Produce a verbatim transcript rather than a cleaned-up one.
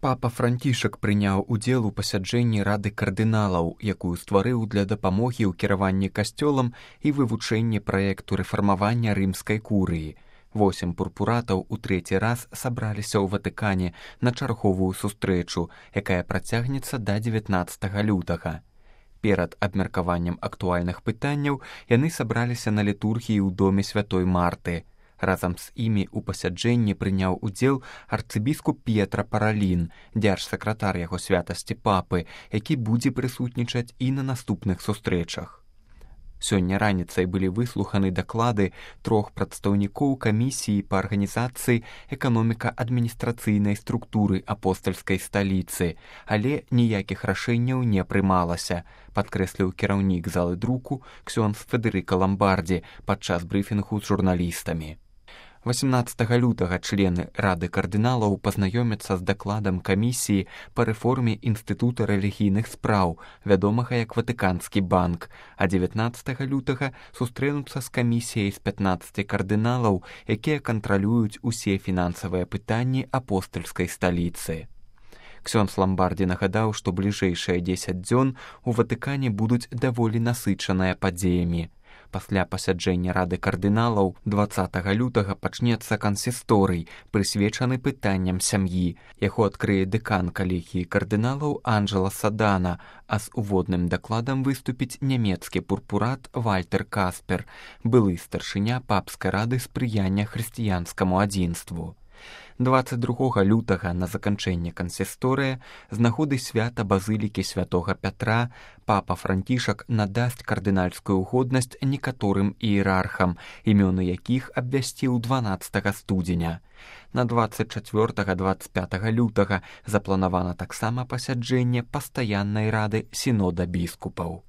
Папа Францішак прыняў удзел у пасяджэнні Рады кардыналаў, якую стварыў для дапамогі ў кіраванні касцёлам і вывучэнні праекту рэфармавання рымскай курыі. Восем пурпуратаў у трэці раз сабраліся ў Ватыкане на чарговую сустрэчу, якая працягнецца да дзевятнаццатага лютага. Перад абмеркаваннем актуальных пытанняў яны сабраліся на літургіі ў доме святой Марты. Разам з імі ў пасяджэнні прыняў удзел арцыбіскуп П'етра Паралін, дзяржсакратар яго святасці папы, які будзе прысутнічаць і на наступных сустрэчах. Сёння раніцай былі выслуханы даклады трох прадстаўнікоў камісіі па арганізацыі эканоміка-адміністрацыйнай структуры апостальскай сталіцы, але ніякіх рашэнняў не прымалася, падкрэсліў кіраўнік залы друку ксёндз Федэрыка Ламбардзі падчас брыфінгу з журналістамі. восемнаццатага лютага члены Рады кардыналаў пазнаёмяцца з дакладам камісіі па рэформе Інстытута рэлігійных спраў, вядомага як Ватыканскі банк, а дзевятнаццатага лютага сустрэнуцца з камісіяй з пятнаццаці кардыналаў, якія кантралююць усе фінансавыя пытанні апостальскай сталіцы. Ксёндз Ламбардзі нагадаў, што бліжэйшыя дзесяць дзён у Ватыкане будуць даволі насычаныя падзеямі. Пасля пасяджэння Рады кардыналаў дваццатага лютага пачнецца кансісторый, прысвечаны пытанням сям'і. Яго адкрые дэкан калегіі кардыналаў Анджела Садана, а з уводным дакладам выступіць нямецкі пурпурат Вальтер Каспер, былы старшыня папскай рады спрыяння хрысціянскаму адзінству. дваццаць другога лютага на заканчэнне кансісторыя з нагоды свята базылікі святога Пятра папа Францішак надасць кардынальскую годнасць некаторым іерархам, імёны якіх абвясціў дванаццатага студзеня. На дваццаць чацвёртага - дваццаць пятага лютага запланавана таксама пасяджэнне пастаяннай рады сінода біскупаў.